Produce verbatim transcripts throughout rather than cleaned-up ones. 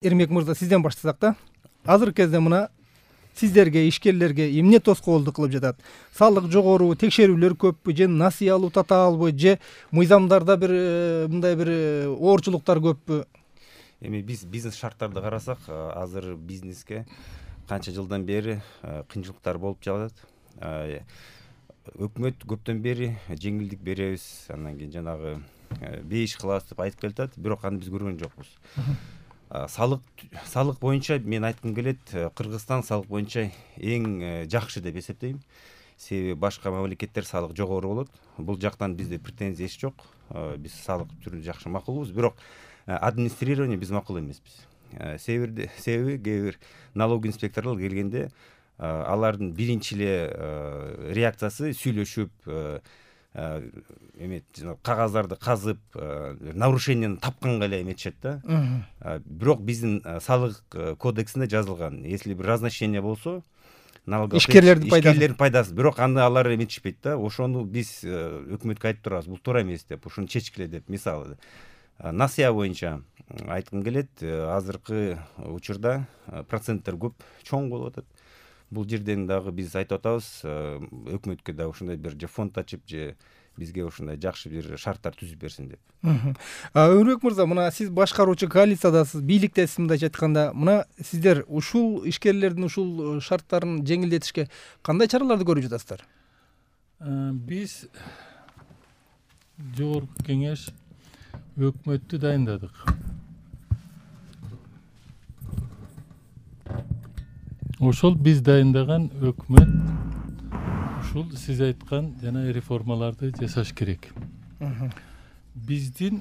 Эрмек мырза, сизден баштасак да. Азыркы кезде мына сиздерге, ишкерлерге эмне тоскоолдук кылып жатат? Салык жогору, текшерүүлөр көппү, же насыя алуу татаалбы, же мыйзамдарда бир мындай бир оорчулуктар көппү? Эми биз бизнес шарттарды карасак, азыр бизнеске канча жылдан бери кыйынчылыктар болуп жатат. Өкмөт көптөн бери жеңилдик беребиз, андан кийин жанагы бейиш кылабыз деп айтып келатат, бирок аны биз көргөн жокпуз. Салык салык боюнча мен айткым келет, Кыргызстан салык боюнча эң жакшы деп эсептейм. Себеби башка мамлекеттер салык жогору болот. Бул жактан бизде претензия эч жок. Биз салык түрүн жакшы макулбуз, бирок администрирование биз макул эмеспиз. Себеби себеби кээ бир налог инспекторлор келгенде алардын биринчи эле реакциясы сүйлөшүп, эме кагаздарды казып, нарушениени тапканга эле эметишет да. Бирок биздин салык кодексинде жазылган, если бир разношение болсо, ишкерлердин пайдасы, ишкерлердин пайдасы, бирок аны алар эметишпейт да. Ошону биз өкмөткө айтып турабыз, бул туура эмес деп, ушуну чечкиле деп. Мисалы, насыя боюнча айткым келет, азыркы учурда проценттер көп чоң болуп атат. Бул жерден дагы биз айтып атабыз, өкмөткө да ушундай бир же фонд ачып, же бизге ушундай жакшы бир шарттар түзүп берсин деп. Өрбек мырза, мына сиз башкаруучу коалициядасыз, бийликтесиз, мындайча айтканда. Мына сиздер ушул ишкерлердин ушул шарттарын жеңилдетишке кандай чараларды көрүп жатасыздар? Биз жогорку кеңеш өкмөттү дайындадык. Ошол биз дайындаган өкмөт ушул сиз айткан жана реформаларды жасаш керек. Биздин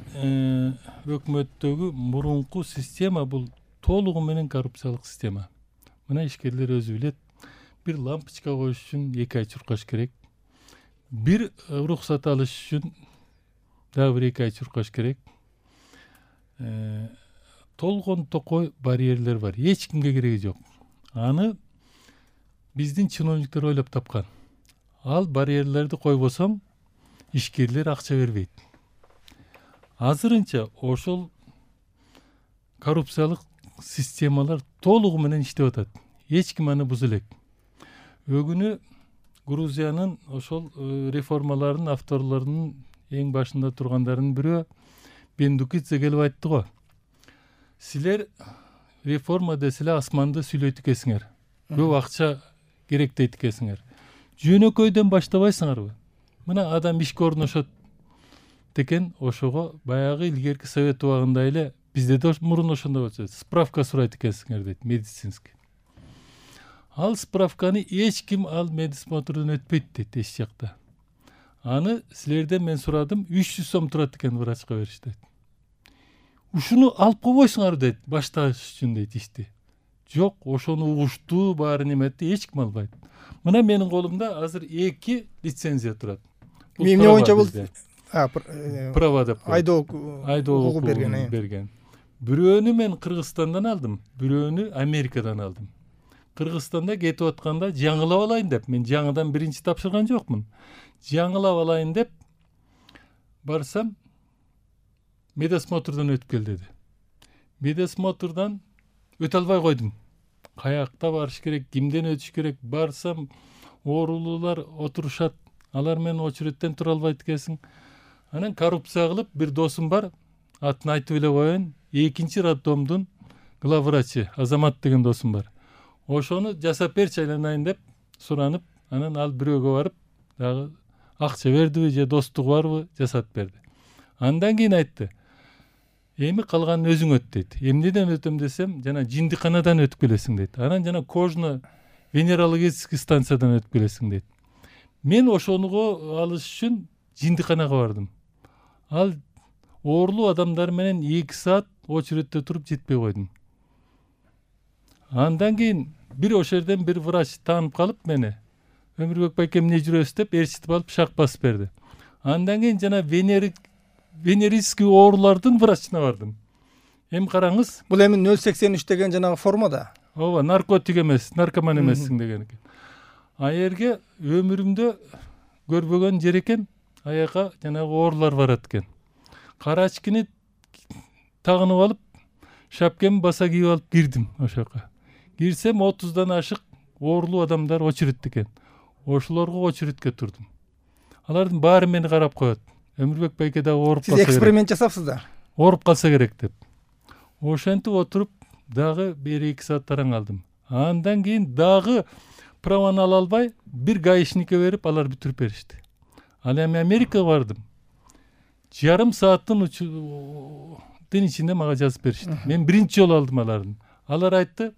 өкмөттөгү мурунку система бул толугу менен коррупциялык система. Мына ишкерлер өзү билет, бир лампочка коюш үчүн эки ай чуркаш керек. Бир уруксат алыш үчүн дагы бир эки ай чуркаш керек. Толгон токой барьерлер бар. Эч кимге кереги жок. Аны биздин чиновниктер ойлоп тапкан. Ал барьерлерди койбосоң, ишкерлер акча бербейт. Азырынча ошол коррупциялык системалар толугу менен иштеп атат. Эч ким аны буза элек. Өгүнү Грузиянын ошол реформаларынын авторлорунун эң башында тургандарынын бирөө Бендукидзе келип айтты го. Силер реформа деселе асманды сүйлөйт экенсиңер. Көп акча керек дейт экенсиңер. Жөнөкөйдөн баштабайсыңарбы? Мына адам ишке орношот деген, ошого баягы илгерки совет убагында эле бизде да мурун ошондой болчу. Справка сурайт экенсиңер дейт, медицинский. Ал справканы эч ким ал медсмотрдон өтпөйт дейт эч жакта. Аны силерден мен сурадым, үч жүз сом турат экен, врачка бериш дейт. Ушуну алып койбойсуңар дейт, башташ үчүн дейт ишти. Жок, ошону угуштуу, баарын эметти, эч ким албайт. Мына менин колумда азыр эки лицензия турат. Эмне боюнча бул? Права деп. Айдоо укугу берген. берген. Бирөөнү мен Кыргызстандан алдым, бирөөнү Америкадан алдым. Кыргызстанда кетип атканда жаңылап алайын деп, мен жаңыдан биринчи тапшырган жокмун. Жаңылап алайын деп барсам, медосмотрдон өтүп кел деди. Медосмотрдан өтө албай койдум. Каякта барыш керек, кимден өтүш керек? Барсам, оорулуулар отурушат. Алар менен очередден тура албайт экенсиң. Анан коррупция кылып бир досум бар, атын айтып эле коеюн. Экинчи роддомдун главврачы Азамат деген досум бар. Ошону жасап берчи айланайын деп суранып, анан ал бирөөгө барып, дагы акча бердиби же достугу барбы, жасап берди. Андан кийин айтты: эми калганын өзүң өт дейт. Эмнеден өтөм десем, жана жиндиканадан өтүп келесиң дейт. Анан жана кожно венерологический станциядан өтүп келесиң дейт. Мен ошоnuго алыш үчүн жиндиканага бардым. Ал оорулуу адамдар менен эки саат очередде туруп жетпей койдум. Андан кийин бир ошол жерден бир врач таанып калып мени, Өмүрбек байке эмне жүрөсүз деп ээрчитип алып шак басып берди. Андан кийин жана венерик венерический оорулардын врачына бардым. Эми караңыз, бул эми нөл сексен үч деген жанагы формада. Ооба, наркотик эмес, наркоман эмессиң деген экен. А жерге өмүрүмдө көрбөгөн жер экен, аяка жанагы оорулар барат экен. Кара ачкини тагынып алып, шапкемди баса кийип алып кирдим ошол жака. Кирсем отуздан ашык оорлуу адамдар очередте экен. Ошолорго очередке турдум. Алардын баары мени карап коет. Өмүрбек байке дагы ооруп калса Сиз керек. эксперимент жасапсыздар. Ооруп калса керек деп. Ошентип отуруп дагы бир эки саат тараң алдым. Андан кийин дагы праваны ала албай бир гаишникке берип алар бүтүрүп беришти. Ал эми Америкага бардым. Жарым сааттын тын ичинде мага жазып беришти. Мен биринчи жолу алдым алардын. Алар айтты,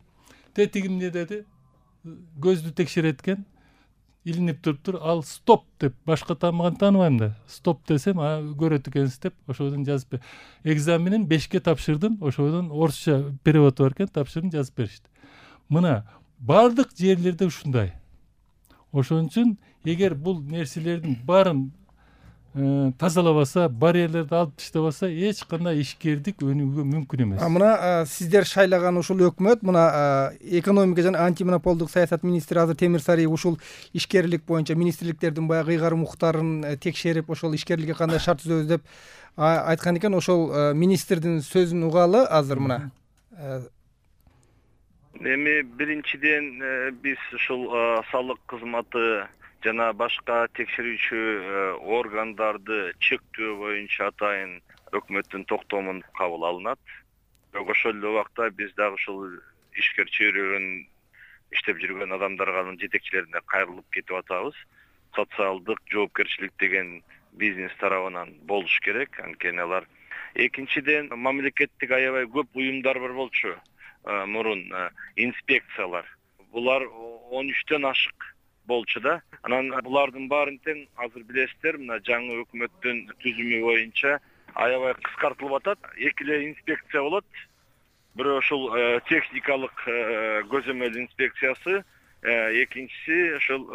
тетигим эмне деди? Көздү текшерет экен. Илинип туруптур, ал стоп деп, башка таамаган тааныбайм да. Стоп десем, а көрөт экенсиз деп, ошодон жазып бер. Экзаменин бешке тапшырдым, ошодон орусча переводу бар экен, тапшырдым, жазып беришти. Мына бардык жерлерде ушундай. Ошон үчүн эгер бул нерселердин баарын тазалабаса, барьерлерди алып таштабаса, эч кандай ишкердик өнүгүүгө мүмкүн эмес. А мына сиздер шайлаган ушул өкмөт, мына экономика жана антимонополдук саясат министри азыр Темир Сариев ушул ишкерлик боюнча министрликтердин баягы ыйгарым укуктарын текшерип, ошол ишкерликке кандай шарт түзөбүз деп айткан экен. Ошол министрдин сөзүн угалы азыр мына. Эми биринчиден биз ушул салык кызматы жана башка текшерүүчү органдарды чектөө боюнча атайын өкмөттүн токтомун кабыл алынат. Бирок ошол эле убакта биз дагы ушул ишкер чөйрөгөн иштеп жүргөн адамдарга, жетекчилерине кайрылып кетип атабыз. Социалдык жоопкерчилик деген бизнес тарабынан болуш керек, анткени алар. Экинчиден, мамлекеттик аябай көп уюмдар бар болчу мурун, инспекциялар. Булар он үчтөн ашык болчу да. Анан булардын баарын тең азыр билесиздер, мына жаңы өкмөттүн түзүмү боюнча аябай кыскартылып атат. Эки эле инспекция болот. Бирөө ушул техникалык көзөмөл инспекциясы, экинчиси ушул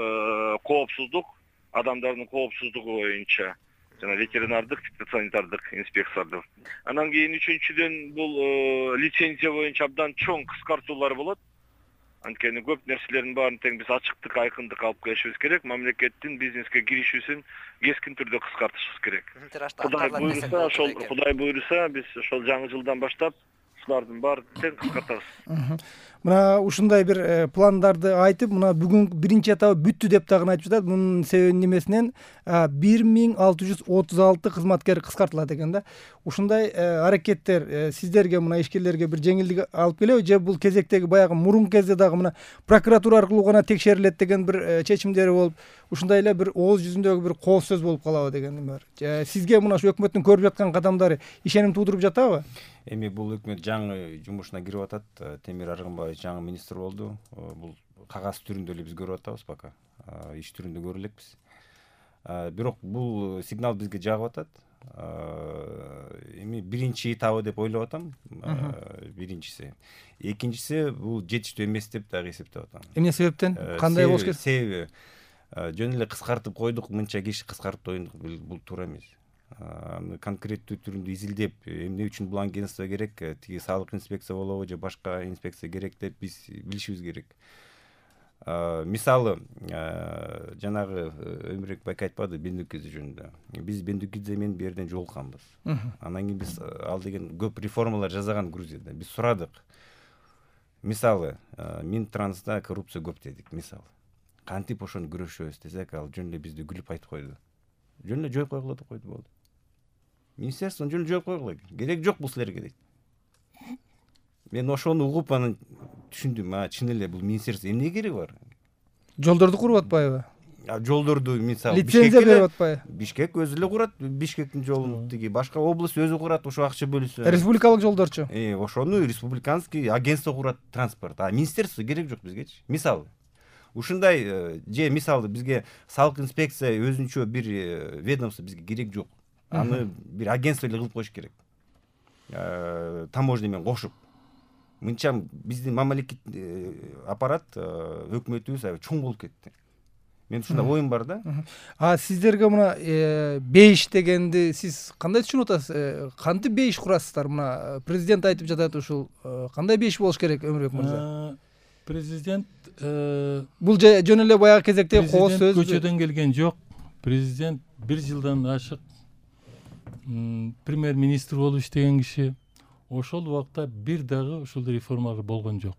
коопсуздук, адамдардын коопсуздугу боюнча жана ветеринардык, фитосанитардык инспекциялар. Анан кийин үчүнчүдөн бул лицензия боюнча абдан чоң кыскартуулар болот. Анткени көп нерселердин баарын тең биз ачыктык, айкындык алып келишибиз керек. Мамлекеттин бизнеске киришүүсүн кескин түрдө кыскартышыбыз керек. Кудай буйруса, ошол Кудай буйруса, биз ошол жаңы жылдан баштап ушулардын баарын тең кыскартабыз. Мына ушундай бир пландарды айтып, мына бүгүн биринчи этабы бүттү деп дагы айтып жатат. Мунун себебин немесинен бир миң алты жүз отуз алты кызматкер кыскартылат экен да. Ушундай аракеттер сиздерге, мына ишкерлерге бир жеңилдик алып келеби, же бул кезектеги баягы мурун кезде дагы мына прокуратура аркылуу гана текшерилет деген бир чечимдери болуп, ушундай эле бир ооз жүзүндөгү бир кооз сөз болуп калабы деген эме бар. Сизге мына ушу өкмөттүн көрүп жаткан кадамдары ишеним туудуруп жатабы? Эми бул өкмөт жаңы жумушуна кирип атат. Темир Аргынбаев жаңы министр болду. Бул кагаз түрүндө эле биз көрүп атабыз пока. Иш түрүндө көрө элекпиз. Бирок бул сигнал бизге жагып атат. Эми биринчи этабы деп ойлоп атам. Биринчиси. Экинчиси бул жетиштүү эмес деп дагы эсептеп атам. Эмне себептен? Кандай болуш керек? Себеби жөн эле кыскартып койдук, мынча киши кыскартып койдук, бул туура эмес. Конкреттүү түрүндө изилдеп, эмне үчүн бул агентство керек, тиги салык инспекция болобу же башка инспекция керек деп биз билишибиз керек. Мисалы, жанагы Өмүрбек байке айтпады Бендукидзе жөнүндө. Биз Бендукидзе менен бул жерден жолукканбыз. Анан кийин биз ал деген көп реформалар жасаган Грузияда. Биз сурадык. Мисалы, Минтранста коррупция көп дедик, мисалы. Кантип ошону күрөшөбүз десек, ал жөн эле бизди күлүп айтып койду. Жөн эле жоюп койгула деп койду, болду. Министерствону жөн эле жоюп койгула. Керек жок бул силерге дейт. Мен ошону угуп анан түшүндүм, а чын эле бул министерство эмне кереги бар? Жолдорду куруп атпайбы? Жолдорду мисалы лицензия берип атпайбы? Бишкек өзү эле курат, Бишкектин жолун, тиги башка область өзү курат, ошо акча бөлүсө. Республикалык жолдорчу? Э, ошону республиканский агентство курат, транспорт. А министерство керек жок бизгечи. Мисалы ушундай же мисалы бизге салык инспекция өзүнчө бир ведомство бизге керек жок. Аны бир агентство эле кылып коюш керек. Таможня менен кошуп. Мынча биздин мамлекет аппарат, өкмөтүбүз аябай чоң болуп кетти. Мен ушундай оюм бар да. А сиздерге мына беш дегенди сиз кандай түшүнүп атасыз? Кантип беш курасыздар? Мына президент айтып жатат ушул. Кандай беш болуш керек, Өмүрбек мырза? Президент бул жөн эле баягы кезектеги кооз сөз. Көчөдөн келген жок. Президент бир жылдан ашык премьер-министр болуп иштеген киши. ошол убакта бир дагы ушул реформалар болгон жок.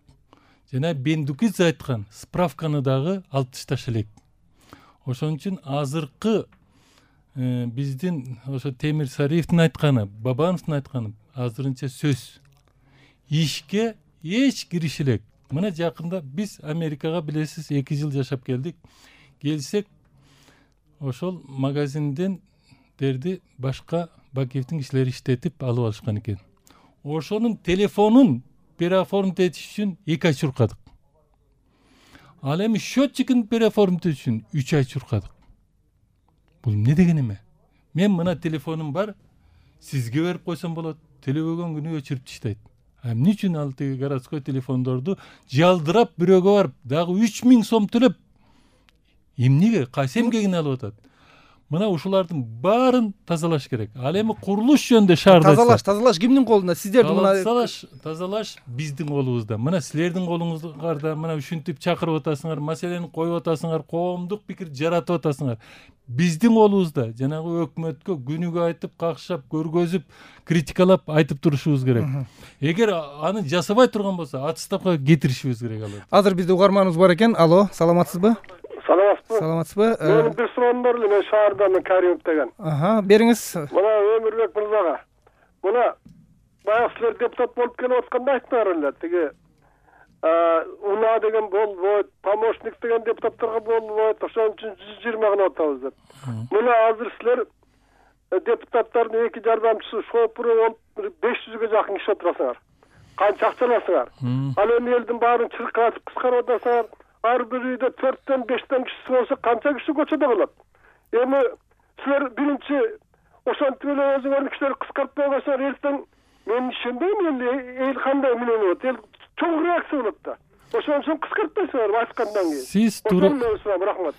Жана Бендукидзе айткан справканы дагы алып ташташ элек. Ошон үчүн азыркы биздин ошо Темир Сариевдин айтканы, Бабановдун айтканы азырынча сөз. Ишке эч кириш элек. Мына жакында биз Америкага билесиз эки жыл жашап келдик. Келсек ошол магазинден дерди башка Бакиевдин кишилери иштетип алып алышкан экен. Ошонун телефонун переоформить этиш үчүн эки ай чуркадык. Ал эми счетчигин переоформить этиш үчүн үч ай чуркадык. Бул эмне деген эме? Мен мына телефонум бар, сизге берип койсом болот, төлөбөгөн күнү өчүрүп таштайт. А эмне үчүн ал тиги городской телефондорду жалдырап бирөөгө барып, дагы үч миң сом төлөп эмнеге, кайсы эмгегин алып атат? Мына ушулардын баарын тазалаш керек. Ал эми курулуш жөнүндө шаарда тазалаш, тазалаш кимдин колунда? Сиздердин мына тазалаш, тазалаш биздин колубузда. Мына силердин колуңуздарда мына ушинтип чакырып атасыңар, маселени коюп атасыңар, коомдук пикир жаратып атасыңар. Биздин колубузда жанагы өкмөткө күнүгө айтып, какшап, көргөзүп, критикалап айтып турушубуз керек. Эгер аны жасабай турган болсо, отставкага кетиришибиз керек алар. Азыр бизде угарманыбыз бар экен. Алло, саламатсызбы? Саламатсызбы? Саламатсызбы? Менин бир суроом бар эле, мен шаардан Каримов деген. Аха, бериңиз. Мына Өмүрбек мырзага. Мына баягы силер депутат болуп келип атканда айттыңар эле, тиги Уна деген болбойт, помощник деген депутаттарга болбойт, ошон үчүн жүз жыйырма гана атабыз деп. Мына азыр силер депутаттардын эки жардамчысы, шопуру болуп беш жүзгө жакын киши отурасыңар. Канча акча аласыңар? Ал эми элдин баарын чыркыратып кыскарып атасыңар. Ар бир үйдө төрттөн бештен кишиси болсо канча киши көчөдө болот? Эми силер биринчи ошентип эле өзүңөрдүн кишилерди кыскартпай койсоңор, эртең мен ишенбейм, эл кандай эмне болот? Эл чоң реакция болот да. Ошон үчүн кыскартпайсыңар айткандан кийин. Сиз туура рахмат.